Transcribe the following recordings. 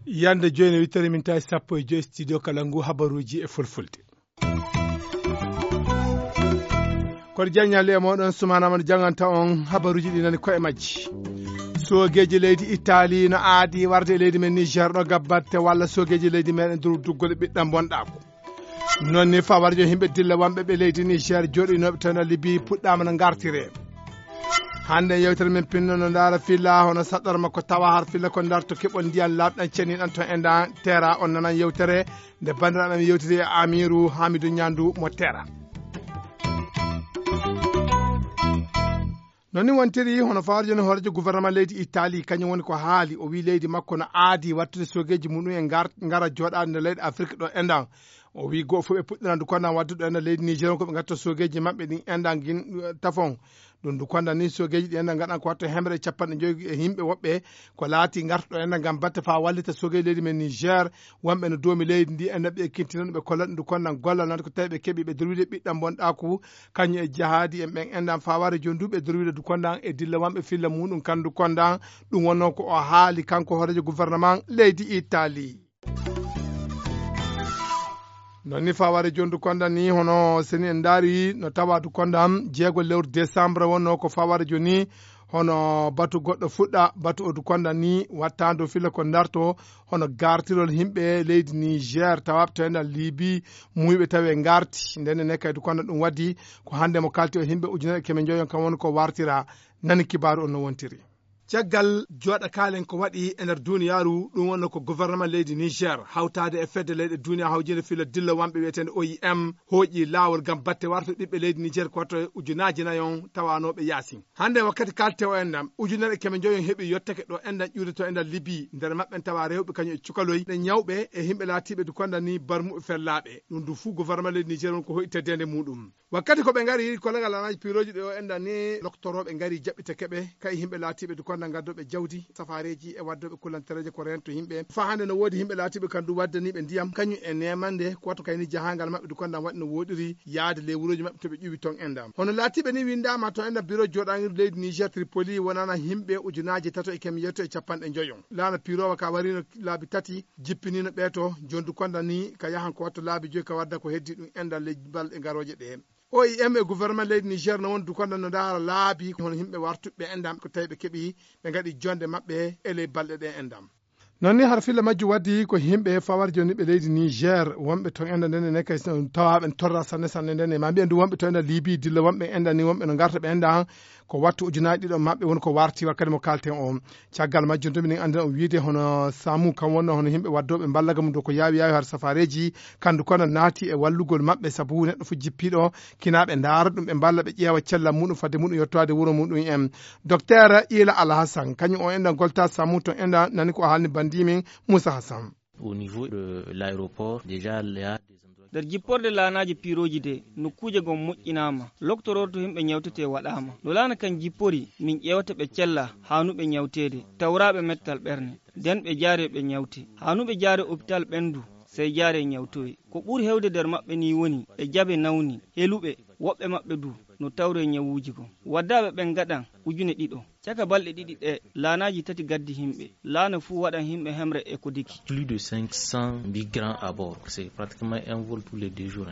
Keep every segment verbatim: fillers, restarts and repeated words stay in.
Yande jooni, wittere min tawi sappo e joy studio kala ngu habaruuji e fulfulde. Kono jaññaali e mooɗon, Sumaana Amadu janganta on habaruuji ɗi nani koye majji. Soogeeji leydi Itaali no aadi warde e leydi men Niger ɗo gabbatte walla soogeeji leydi meɗen durduggol e ɓiɗɗam bonɗaako. Noon ni fawarjo yimɓe dilla wonɓe ɓe leydi Niger jooɗinooɓe toon e Libi puɗɗaama no ngartire. Hannde yewtere men pinno no ndaara filla hono saɗɗorma ko tawa har filla ko ndarto keɓol ndiyan laaɓɗan cenniɗan to enɗan tera on nanan yewtere nde banndiraaɓe men yewtiri e Amiru Hamidu Ñandu mo tera. Noon ni wontiri hono fawarjo ni hoorejo gouvernement leydi Italie kañum woni ko haali o wi leydi makko no aadi wattude sogeeji muɗum e ngar- ngara jooɗaade nder leyɗe Afrique ɗo enɗan. O wi goo fof ɓe puɗɗiran du kondan waddude ɗo enɗan leydi Niger on ko ɓe ngatta sogeeji maɓɓe ɗin enɗan gin tafon. Ɗum du kondan ni sogeeji ɗi enɗan ngaɗan ko watta hemre capanɗe joyi e yimɓe woɓɓe ko laati ngartuɗo enɗan ngam batte faa wallita sogeeji leydi men Niger. Wonɓe no doomi leydi ndi enɗan ɓe kintinan ɓe kollat ɗum du kondan gollal nande ko tawi ɓe keɓi ɓe durwide ɓiɗɗam bonɗaaku kañum e jahaadi en ɓen enɗan faa wara jooni du ɓe durwide du kondan e dilla wonɓe filla muɗum kan du kondan. Ɗum wonno ko o haali kanko hoorejo gouvernement leydi Italie. Noon ni faware jondu kondan ni hono seni en ndaari no tawa du kondan jeego lewru décembre wonno ko faware joni hono batu goɗɗo fuɗɗa batu o du kondan ni wattaandu filla ko ndarto hono gartirol yimɓe leydi Niger tawaɓe to enɗan Libi muyɓe tawi e ngarti ndenne ne kay du kondan ɗum waddi ko hannde mo kalti o yimɓe ujunere keme njoyon kam woni ko wartira. Nani kibaaru on no wontiri. Caggal jooɗa kaalen ko waɗi e nder duniyaaru ɗum wonno ko gouvernement leydi Niger hawtaade e fedde leyɗe duniya hawjinde filla dilla wonɓe wiyeteende O I M hooƴi laawol ngam batte warto ɓiɓɓe leydi Niger ko wato e ujunaaji nayon tawanooɓe yaasin. Hannde wakkati kalte o enɗam ujunere keme njoyon heɓi yottake ɗo enɗan ƴuude to enɗan Libi nder maɓɓen tawa rewɓe kañum e cukaloy ɗe ñawɓe e yimɓe laatiiɓe du kondan ni barmuɓe fellaaɓe ɗum du fuu gouvernement leydi Niger won ko hoyteddeende muɗum. Wakkati ko ɓe ngari kolagal lanaji piroji ɗe o enɗan ni loktorooɓe ngari jaɓɓite keɓe kay yimɓe laatiiɓe du kondan gaddoɓe jawdi safareeji e waddoɓe kulantereeje ko rento yimɓe faa hannde no woodi yimɓe laatiiɓe kan du waddaniiɓe ndiyam kañum e nemande ko wattu kayni jahangal maɓɓe du kondan waɗi no woɗiri yaade ley wuroji maɓɓe to ɓe ƴuwi ton enɗam hono laatiiɓe ni winndama to enɗan biro jooɗangir leydi Niger Tripoli wonana yimɓe ujunaaji tato e keme yetto e capanɗe njoyon laana pirowa ka warino laabi tati jippinino ɓeeto jondu kondan ni ka yahan ko wattu laabi joyi ka wadda ko heddi ɗum enɗan ley balɗe garooje ɗe. O I M e gouvernement leydi Niger no won du kondan no ndaara laabi hono yimɓe wartuɓe enɗam ko tawi ɓe keɓi ɓe ngaɗi jonde maɓɓe e ley balɗe ɗe enɗam. Noon ni har filla majju waddi ko yimɓe fawar joni ɓe leydi Niger wonɓe ton enɗan ndene ne kay tawaɓe torra sanne sanne ndene ma mbiyen du wonɓe ton enɗan Libi dilla wonɓe enɗan ni wonɓe no ngarta ɓe enɗan ko wattu ujunaaji ɗiɗo maɓɓe woni ko warti wakkati mo kalten o. Caggal majjum to minen anndina on wiide hono samu kam wonno hono yimɓe waddooɓe mballaga mum dow ko yaawi yaawi har safareeji kandu kono naati e wallugol maɓɓe sabu neɗɗo fof jippiiɗo kinaaɓe ndaara ɗum ɓe mballa ɓe ƴeewa cellal muɗum fadde muɗum yettoade wuro muɗum en. Docteur Ila Alhassan kañum o enɗan golta samu to enɗan nani ko haalni banndi min Moussa Hassan. Au niveau de l'aéroport déjà il y a des endroits. Nder jipporde laanaaji piirooji de nokkuuje gom moƴƴinaama loktororto himɓe ñawtetee waɗaama no laana kan jippori min ƴeewata ɓe cella haanuɓe ñawteede tawraaɓe mettal ɓerne nden ɓe jaare ɓe ñawte haanuɓe jaare opital ɓendu sey jaare ñawtowe ko ɓuri hewde nder maɓɓe ni woni ɓe jaɓe nawni heluɓe woɓɓe maɓɓe du no tawre ñawuuji gom waddaaɓe ɓen ngaɗan ujune ɗiɗo caka balɗe ɗiɗi ɗe laanaaji tati gaddi himɓe laana fuu waɗan himɓe hemre e ko diki. Plus de cinq cents migrants à bord c'est pratiquement un vol tous les deux jours.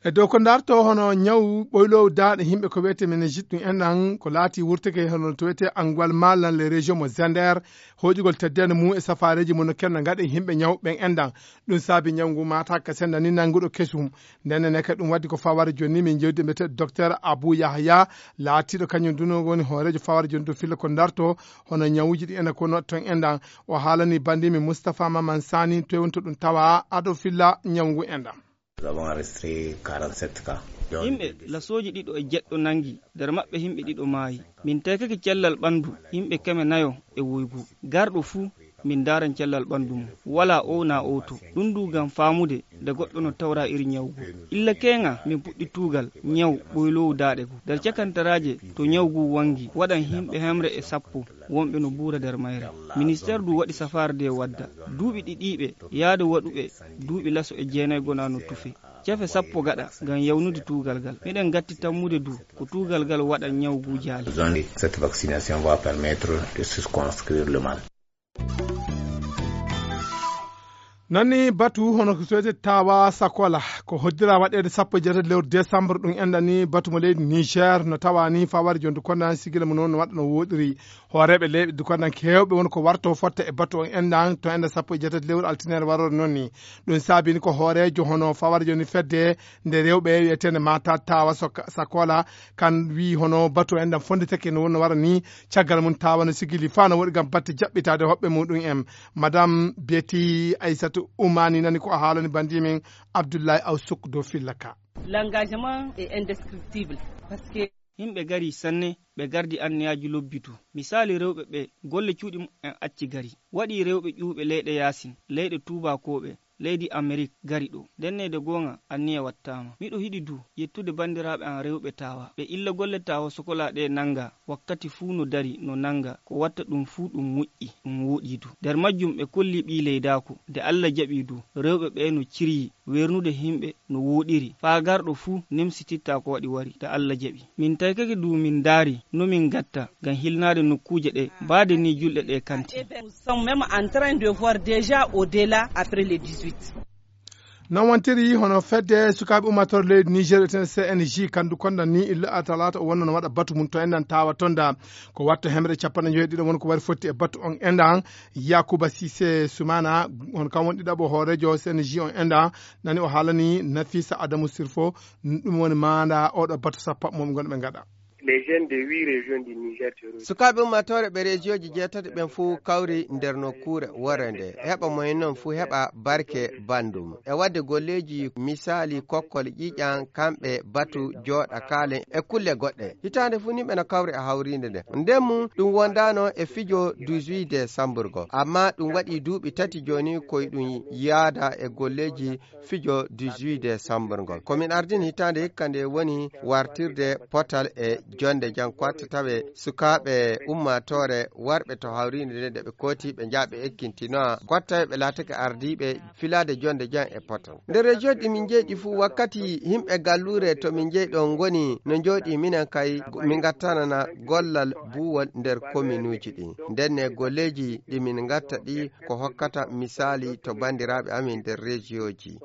E dow ko ndarto hono ñaw ɓoylow daaɗe yimɓe ko wiyete meningite ɗum enɗan ko laati wurteke hono to wiyete anguwal malan les région mo zender hoƴugol teddende mum e safareji mum no kenno gaɗe yimɓe ñaw ɓen enɗan. Ɗum saabi ñaw ngu mata ka senda ni nannguɗo kesum. Ndenne ne kadi ɗum waddi ko faware joni min jewdi mbiyete docteur Abou Yahya laatiɗo kañum duno woni hoorejo faware joni to filla ko ndarto hono ñawuji ɗi ena kono ton enɗan. O haalani bandimi Moustapha Maman Sani to wonto ɗum tawa aɗo filla ñaw ngu enɗan. Nous avons enregistré quarante-sept cas. Yimɓe lasooji ɗiɗo e jeɗɗo nangi nder maɓɓe yimɓe ɗiɗo maayi. Min tekake cellal ɓandu yimɓe keme nayo e woygu garɗo fuu. Min ndaaran cellal ɓanndu mum, walaa ow naa owto. Ɗum ndu ngam faamude nde goɗɗo no tawra iri ñaw ngu. Illa keeŋa min puɗɗi tuugal ñaw ɓoyloowu daaɗe ngu. Nder cakantaraaje to ñaw ngu wanngi, waɗan yimɓe hemre e sappo wonɓe no buura nder mayre. Ministeer ndu waɗi safaare nde wadda. Duuɓi ɗiɗiiɓe yaade waɗuɓe duuɓi laso e jeenay gona no tufe. Cefe sappo gaɗa ngam yawnude tuugal ngal. Miɗen ngatti tammude du ko tuugal ngal waɗa ñaw ngu jaali. Cette vaccination va permettre de circonscrire le mal. Nani batu hono ko sowete tawa Sakola ko hoddira waɗede sappo e jeetati lewru décembre, ɗum enɗani batu mo leydi Niger no tawa ni fawari jonde kondan sigila mo noon no waɗa no woɗiri. Hooreeɓe leyɗe du kondan kewɓe woni ko warto fotta e batu on enɗan to enɗan sappo e jeetati lewru altinere warore noon ni. Ɗum saabini ko hooreejo hono fawari joni fedde nde rewɓe wiyetende mata tawa Soka- Sakola kan wi hono batu enɗan fonditake no wonno wara ni. Caggal mum tawa no sigili fa no woɗi gam batte jaɓɓitade hoɓɓe muɗum en. Madame Betty Aissata Oumani nani ko a haalani bandi min Abdoulaye Aw Souk dow filla ka. L'engagement est indescriptible. Parce que yimɓe gari sanne, ɓe gardi anniyaji lobbitu. Misali rewɓe ɓe golle cuuɗi mumen acci gari. Waɗi rewɓe ƴuwɓe leyɗe yasin, leyɗe tuubakooɓe, leydi Amerik gari ɗo. Ndennede goonga, anniya wattaama. Miɗo hiɗi du yettude banndiraaɓe am rewɓe tawa. Ɓe illa golle tawa sokola ɗe nannga, wakkati fuu no dari no nannga. Ko watta ɗum fuu ɗum moƴƴi, ɗum wooɗi du. Nder majjum ɓe kolli ɓii leydaaku. Nde Alla jaɓi du, rewɓe ɓe no ciryi, weernude himɓe no wooɗiri. Faa garɗo fuu nemsititta ko waɗi wari, nde Alla jaɓi. Min taykake du min ndaari no min ngatta ngam hilnaade nokkuuje ɗe, baade ni julɗe ɗe kanti. Nous sommes même en train de voir déjà au-delà après le dix-huit. Non wontiri hono fedde sukaaɓe ummatore leydi Niger etene C N J kandu konda ni illa a talaata o wonno no waɗa batu mum to enɗan tawa tonda ko watto hemre capanɗe joyi ɗiɗo won ko wari fotti e batu on enɗan. Yakuba Sise Sumana on kam won ɗiɗaɓo hoorejo C N J on enɗan nani o haalani Nafisa Adamu Sirfo. Ɗum woni maanda oɗo batu sappo moɓe gonɓe gaɗa. Les jeunes de huit régions du Niger terrorisés. Sukaaɓe ummatore ɓe rejiyooji jeetati ɓen fuu kawri nder nokkuure worre nde heɓa moyen non fuu heɓa barke bandum e wadde golleeji misali kokkol ƴiƴan kamɓe batu jooɗa kaalen e kulle goɗɗe. Hitaande fuu ni ɓe no kawri e hawriinde nde. Nden mum ɗum wondaano e fijo dix-huit décembre go, amma ɗum waɗi duuɓi tati jooni koy ɗum yaada e golleeji fijo dix-huit décembre ngol. Ko min ardini hitaande hikka nde woni wartirde potal e jonde jam ko watta tawe sukaaɓe ummaatoore warɓe to hawriinde nde, nde ɓe kooti ɓe njaha ɓe ekkintinoa ko watta tawe ɓe laatake ardiiɓe filaade jonde jam e potal. Nder région ɗi min njeyɗi fuu wakkati yimɓe galluure to min njeyɗo ngoni no njooɗi minen kay min ngattanana gollal buuwol nder kominuuji ɗi. Ndenne golleeji ɗi min ngatta ɗi ko hokkata misaali to banndiraaɓe amin nder rejiyooji.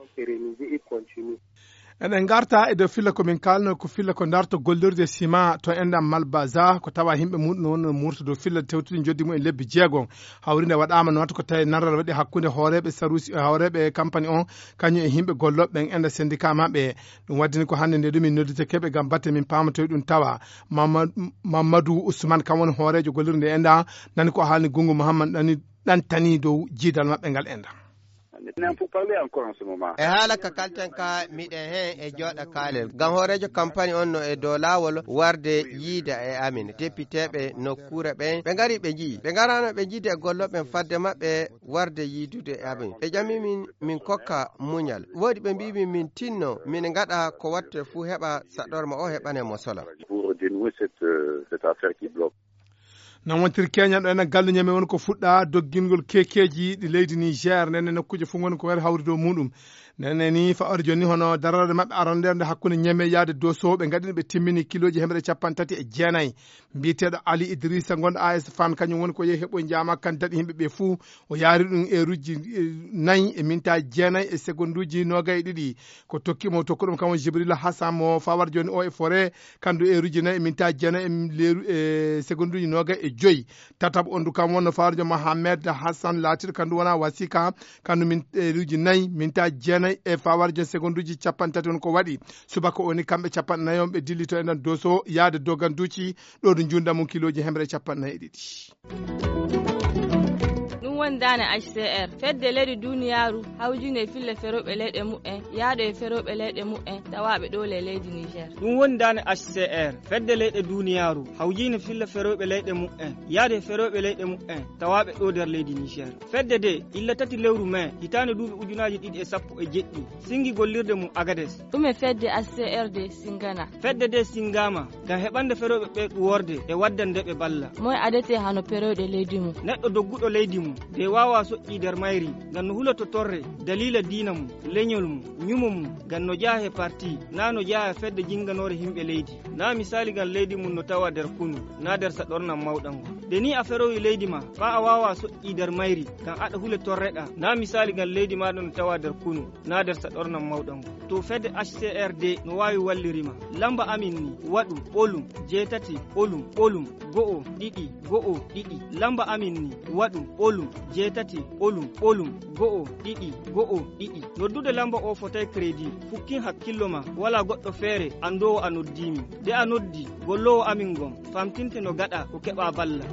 Eɗen ngarta e dow filla ko min kaalno ko filla ko darto gollirde sima to enɗam Malbaza ko tawa yimɓe muɗum no wonno murto dow filla tewtude joddi mum e lebbi jeegom. Hawrinde waɗaama noon ko tawi naral waɗi hakkunde hooreeɓe sarusi e hooreeɓe campagne on kañum e yimɓe gollooɓe ɓen enɗa syndicat maɓɓe. Ɗum waddini ko hannde nde ɗum min noddita keɓe ngam batte min paama toye ɗum tawa. Mamad- Mamadou Ousmane kam woni hooreejo gollirde enɗa nani ko haalni Gungu Mouhammad nani ɗantani dow jiidal maɓɓe ngal enɗa. E haala ka kalten ka miɗen heen e jooɗa kaalel ngam hooreejo kampani on no e dow laawol warde yiida e amin depiteeɓe nokkuure ɓen ɓe ngari ɓe njii ɓe ngarano ɓe jiide e gollooɓe ɓen fadde maɓɓe warde yiidude e amin ɓe ƴami min min kokka muñal woodi ɓe mbii min min tinno min ngaɗa ko watte fuu heɓa saɗorma o heɓane mo sola. Pour dénouer cette, euh, cette affaire qui bloque. Nan wontiri keñanɗo enen galluñe men woni ko fuɗɗa doggingol kekeji ɗi leydi Niger nene nokkuuje fof ngoni ko wari hawri dow muɗum. Nene ni fa'ore joni hono darorde maɓɓe aranderde hakkunde ñeme yaade doso ɓe gaɗino ɓe timmini kiloji hemre capanɗe tati e jeenayi. Mbiyeteɗo Ali Idrissa gonɗo A S Fan kañum woni ko yehi heɓoy jama kan daɗi yimɓe ɓe fuu. O yaari ɗum e rujji nayi e minta jeenayi e segonduji nogay e ɗiɗi. Ko tokki mo tokko ɗum kam woni Jibril Hassan mo fawar joni o e fore kandu e rujji nayi e minta jeenayi e leeru e segonduji nogay e joyi. Tataɓo on du kam wonno fawar joni Mohamed Hassan laatiɗo kandu wona wasika kandu min e rujji nayi minta jeenayi e fawar joni segonduji capanɗe tati on ko waɗi. Subaka oni kamɓe capanɗe nayi on ɓe dillito e nder doso yaade doganduci ɗo du junda mum kiloji hemre capanɗe nayi e ɗiɗi. Wondaane H C R, fedde leyɗe duniyaaru hawjine fille ferooɓe leyɗe mumen, yahde e ferooɓe leyɗe mumen tawaaɓe ɗo le leydi Niger. Ɗum woni daane H C R, fedde leyɗe duniyaaru hawjine fille ferooɓe leyɗe mumen, yahde e ferooɓe leyɗe mumen tawaaɓe ɗo nder leydi Niger. Fedde de, illa tati lewru mai, hitaande duuɓi ujunaaji ɗiɗi e sappo e jeɗɗi, singi gollirde mum Agades. Ɗume fedde H C R de singana? Fedde de singama ngam heɓande ferooɓe ɓe ɗuworde e waddande ɓe balla. Moy adete hano perooɗe leydi mum? Neɗɗo dogguɗo leydi mum, de waawa soƴƴi nder mayri, ngam no huloto torre, daliila diina mum, leñol mum, ñumo mum, ngam no jeyaa he parti, na no jeyaa he fedde jinganoore himɓe leydi. Na misali ngam leydi mum no tawa nder kunu, na nder saɗornam mawɗam ngon. De ni a ferowi leydi ma, faa a waawa soƴƴi nder mayri, ngam aɗa hule torreɗa, na misali ngam leydi maaɗa no tawa nder kunu, na nder saɗornam mawɗam ngon. To fedde H C R D no waawi walliri ma. Lamba amin ni, waɗu, ɓolum, jeetati, ɓolum, ɓolum, go'o, ɗiɗi, go'o, ɗiɗi. Lamba amin ni, waɗu, ɓolum, jeetati, ɓolum, ɓolum, go'o, ɗiɗi, go'o, ɗiɗi. Noddude lamba o fotay credit. Fukkin hakkillo ma, wala goɗɗo feere anndoowo a noddii min. De a noddi, golloowo amin ngon, famtinte no gaɗa ko keɓa balla.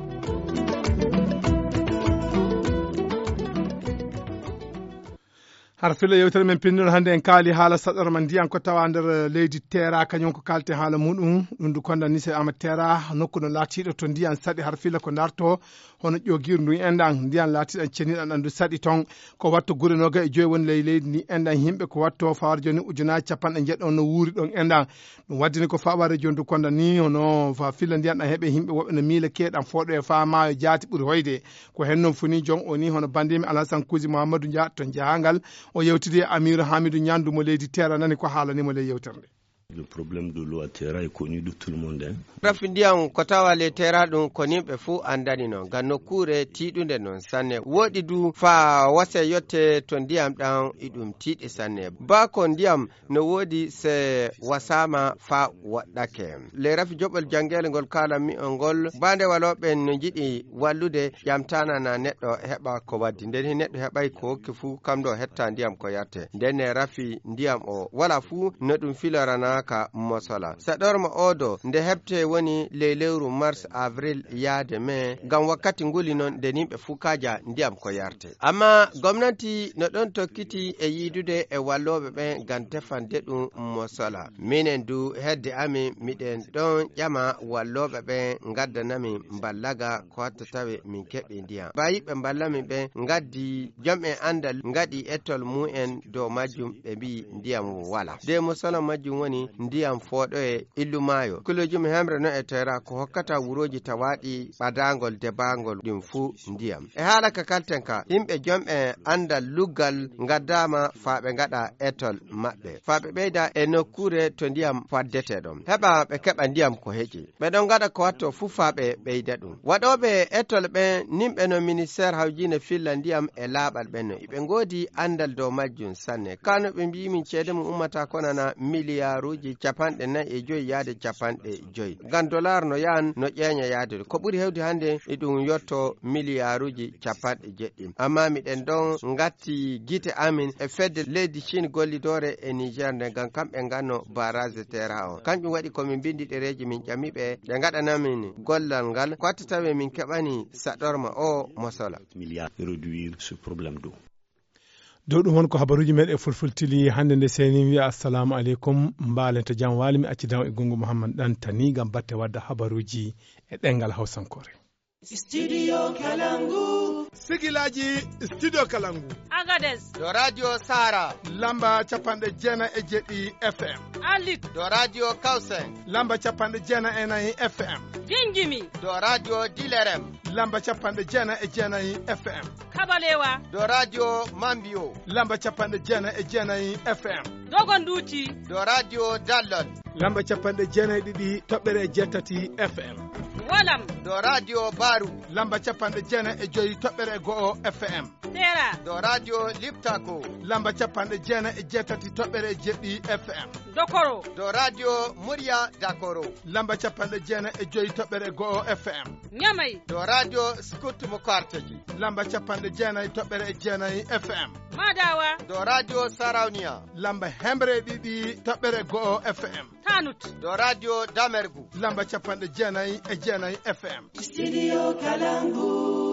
Har filla yewtere men pinndol hannde en kaali haala saɗorma ndiyan ko tawa nder leydi Teera, kañum ko kaalte haala muɗum. Ɗum ndu konda ni se ama Teera, nokku no laatiiɗo to ndiyan saɗi har filla ko darto, hono ƴoogirndu enɗan, ndiyan laatiiɗan ceniɗan ɗan ndu saɗi ton. Ko watto gure noga e joyi woni ley leydi ndi enɗan, yimɓe ko watto fawar joni ujunaaji capanɗe njeɗɗo no wuuri ɗon enɗan. Ɗum waddini ko fawa région du Konda ni hono fa filla ndiyan ɗan heɓe yimɓe woɓɓe no miila keeɗan fooɗo e fa maayo jaati ɓuri hoyde. Ko hen non funi jon o ni hono bandimi Alhassan Kuusi Muhammadu Nja to jahangal. O yewtidi e Amiru Hamidu Ñandu mo leydi Teera, nani ko haalani mo ley yewtere nde. Le problème de l'eau à Teera est connu de tout le monde, hein. Rafi ndiyam ko tawa ley Teera ɗum ko nimɓe fuu anndani non, ngam nokkuure tiiɗunde non sanne. Woɗi du faa wase yotte to ndiyam ɗam iɗum tiiɗi sanne. Baa ko ndiyam no woodi se wasaama faa woɗɗake. Ley rafi joɓol janngeele ngol kaalanmi on ngol, baa nde walooɓe no njiɗi wallude, ƴamtaanana neɗɗo heɓa ko waddi. Nden he neɗɗo heɓay ko hokki fuu, kam ɗo hetta ndiyam ko yarte. Nden ne rafi ndiyam o wala fuu no ɗum filoranaaka mosola. Saɗorma o do nde heɓte woni ley lewru mars, avril, yaade mai, ngam wakkati nguli non nde nimɓe fuu kaaja ndiyam ko yarte. Amma gomnati no ɗon tokkiti e yiidude e wallooɓe ɓen ngam tefande ɗum mosola. Minen du hedde amin miɗen ɗon ƴama wallooɓe ɓen ngaddanamin mballaga ko hatta tawe min keɓi ndiyam. Bayiɓɓe mballamin ɓen ngaddi jom en anndal ngaɗi ettol mumen dow majjum ɓe mbi'i ndiyam wala. De mosola majjum woni ndiyam fooɗoye illu maayo. Kulojum hemre no e Teera ko hokkata wurooji tawaaɗi ɓadaangol debaangol ɗin fuu ndiyam. E haala ka kalten ka, yimɓe jom e anndal luggal ngaddaama faa ɓe ngaɗa etol maɓɓe. Faa ɓe ɓeyda e nokkuure to ndiyam faddete ɗon. Heɓa ɓe keɓa ndiyam ko heƴi. Ɓe ɗon ngaɗa ko watto fuu faa ɓe ɓeyda ɗum. Waɗooɓe etol ɓen nimɓe no ministeer hawjiine filla ndiyam e laaɓal ɓen no. Iɓe ngoodi anndal dow majjum sanne. Kano ɓe mbi'i min ceede mum ummata ko nana miliyaaruuji capanɗe nayi e joyi yaade capanɗe joyi. Ngam dolaar no yahan no ƴeeña yaade. Ko ɓuri hewde hannde e ɗum yotto miliyaaruuji capanɗe jeɗɗi. Amma miɗen ɗon ngatti gite amin e fedde leydi Chine gollidoore e Niger nde ngam kamɓe nganno barrage Teera o. Kanƴum waɗi ko min mbindi ɗereeji min ƴami ɓe, ɓe ngaɗana min gollal ngal, ko watta tawi min keɓani saɗorma o mosola. Milliards réduire ce problème d'eau. Dow ɗum won ko habaruuji meɗen fulfultili hannde nde seni wiya assalamu aleykum, mbaalen to jam waali, mi accidan e gongo Mouhammad Dantani ngam batte wadda habaruuji e ɗengal Hawsankore. Studio Kalangu. Sigilaji Studio Kalangu. Agades. Do Radio Sara. Lamba capanɗe jeenayi e jeɗɗi F M. Alit. Do Radio Kausen. Lamba capanɗe jeenayi e nayi F M. Jinjimi. Do Radio Dilerem. Lamba capanɗe jeenayi e jeenayi F M. Kabalewa. Do Radio Mambio. Lamba capanɗe jeenayi e jeenayi F M. Dogonduti. Do Radio Dallon. Lamba capanɗe jeenayi e ɗiɗi toɓɓere e jeetati F M. Walam. Do Radio Baru. Lamba capanɗe jeenayi e joyi toɓɓere e go'o F M. Sera. Do Radio Liptako. Lamba capanɗe jeenayi e jeetati toɓɓere e jeɗɗi F M. Dokoro. Do Radio Murya Dakoro. Lamba capanɗe jeenayi e joyi toɓɓere e go'o F M. Ñamay. Do Radio Scout mo Karteji. Lamba capanɗe jeenayi toɓɓere e jeenayi F M. Madawa. Do Radio Sarauniya. Lamba hemre e ɗiɗi toɓɓere e go'o F M. Tanut. Do Radio Damergu. Lamba capanɗe jeenayi e jeenayi F M. Studio Kalangu.